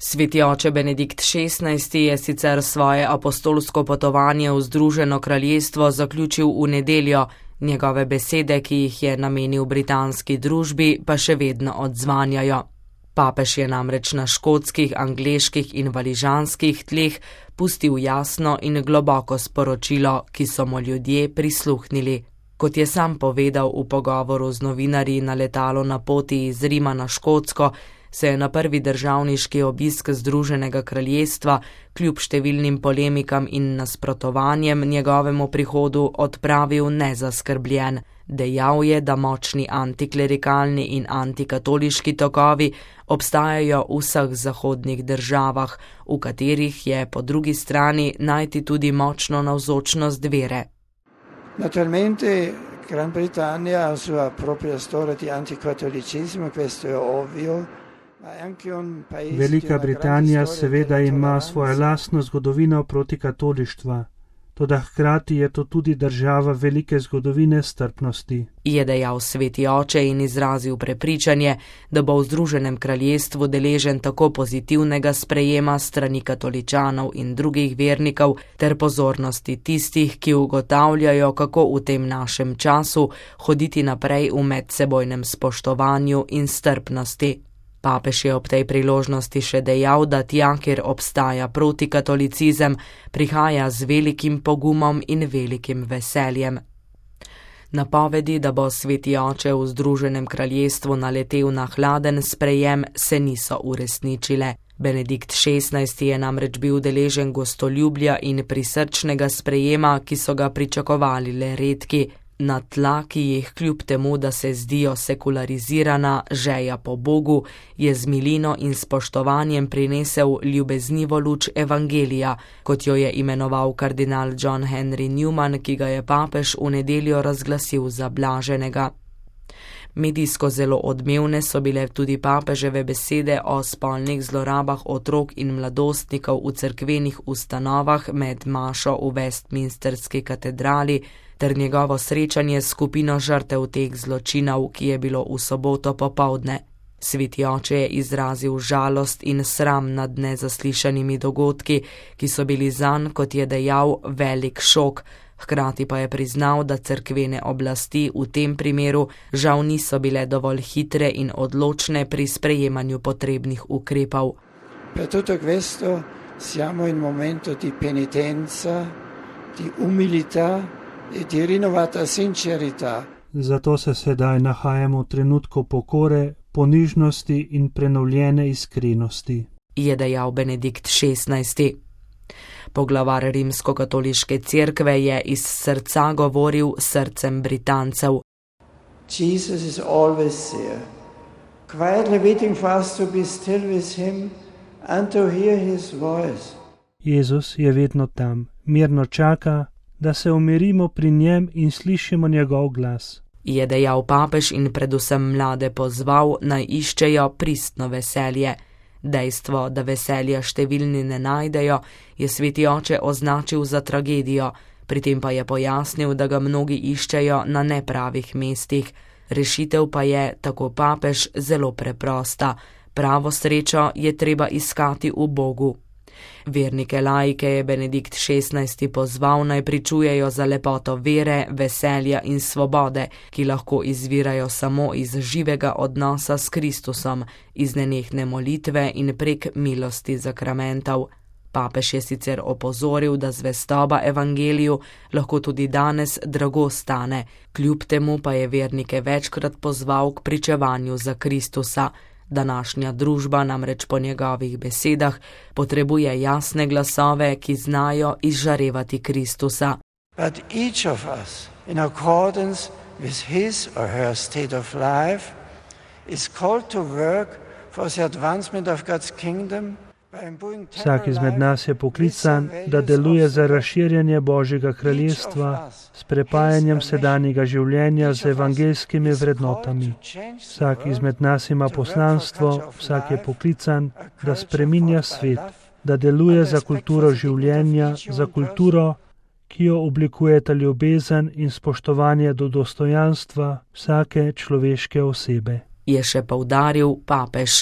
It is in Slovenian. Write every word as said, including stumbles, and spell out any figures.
Sveti oče Benedikt šestnajsti je sicer svoje apostolsko potovanje v Združeno kraljestvo zaključil v nedeljo, njegove besede, ki jih je namenil britanski družbi, pa še vedno odzvanjajo. Papež je namreč na škotskih, angleških in valižanskih tleh pustil jasno in globoko sporočilo, ki so mu ljudje prisluhnili. Kot je sam povedal v pogovoru z novinarji na letalu na poti iz Rima na Škotsko, se je na prvi državniški obisk Združenega kraljestva kljub številnim polemikam in nasprotovanjem njegovemu prihodu odpravil nezaskrbljen. Dejal je, da močni antiklerikalni in antikatoliški tokovi obstajajo v vseh zahodnih državah, v katerih je po drugi strani najti tudi močno navzočnost vere. Naturalmente Gran Bretagna ha sua propria storia di anticatolicismo, questo è ovvio. Velika Britanija seveda ima svojo lastno zgodovino proti katolištva, toda hkrati je to tudi država velike zgodovine strpnosti. Je dejal sveti oče in izrazil prepričanje, da bo v Združenem kraljestvu deležen tako pozitivnega sprejema strani katoličanov in drugih vernikov ter pozornosti tistih, ki ugotavljajo, kako v tem našem času hoditi naprej v medsebojnem spoštovanju in strpnosti. Papež je ob tej priložnosti še dejal, da tja, kjer obstaja protikatolicizem, prihaja z velikim pogumom in velikim veseljem. Napovedi, da bo sveti oče v Združenem kraljestvu naletel na hladen sprejem, se niso uresničile. Benedikt šestnajsti je namreč bil deležen gostoljubja in prisrčnega sprejema, ki so ga pričakovali le redki. Na tla, ki jih kljub temu, da se zdijo sekularizirana žeja po Bogu, je z milino in spoštovanjem prinesel ljubeznivo luč evangelija, kot jo je imenoval kardinal John Henry Newman, ki ga je papež v nedeljo razglasil za blaženega. Medijsko zelo odmevne so bile tudi papeževe besede o spolnih zlorabah otrok in mladostnikov v cerkvenih ustanovah med mašo v Westminsterski katedrali ter njegovo srečanje s skupino žrtev teh zločinov, ki je bilo v soboto popoldne. Sveti oče je izrazil žalost in sram nad nezaslišanimi dogodki, ki so bili zanj, kot je dejal, velik šok. Hkrati pa je priznal, da cerkvene oblasti v tem primeru žal niso bile dovolj hitre in odločne pri sprejemanju potrebnih ukrepov. Per tutto questo siamo in momento di penitenza, di umilità e di rinnovata sincerità. Zato se sedaj nahajamo v trenutku pokore, ponižnosti in prenovljene iskrenosti, je dejal Benedikt šestnajsti. Poglavar rimskokatoliške cerkve je iz srca govoril srcem Britancev. Jesus is always there, quietly waiting for us to be still with him and to hear his voice. Jezus je vedno tam, mirno čaka, da se umirimo pri njem in slišimo njegov glas. Je dejal papež in predvsem mlade pozval, naj iščejo pristno veselje. Dejstvo, da veselja številni ne najdejo, je sveti oče označil za tragedijo, pri tem pa je pojasnil, da ga mnogi iščejo na nepravih mestih. Rešitev pa je, tako papež, zelo preprosta. Pravo srečo je treba iskati v Bogu. Vernike laike je Benedikt šestnajsti pozval, naj pričujejo za lepoto vere, veselja in svobode, ki lahko izvirajo samo iz živega odnosa s Kristusom, iz nenehne molitve in prek milosti zakramentov. Papež je sicer opozoril, da zvestoba evangeliju lahko tudi danes drago stane, kljub temu pa je vernike večkrat pozval k pričevanju za Kristusa. Današnja družba namreč po njegovih besedah potrebuje jasne glasove, ki znajo izžarevati Kristusa. But each of us, in accordance with his or her state of life, is called to work for the advancement of God's kingdom. Vsak izmed nas je poklican, da deluje za razširjanje Božjega kraljestva s prepajanjem sedanjega življenja z evangeljskimi vrednotami. Vsak izmed nas ima poslanstvo, vsak je poklican, da spreminja svet, da deluje za kulturo življenja, za kulturo, ki jo oblikujeta ljubezen in spoštovanje do dostojanstva vsake človeške osebe. Je še poudaril papež.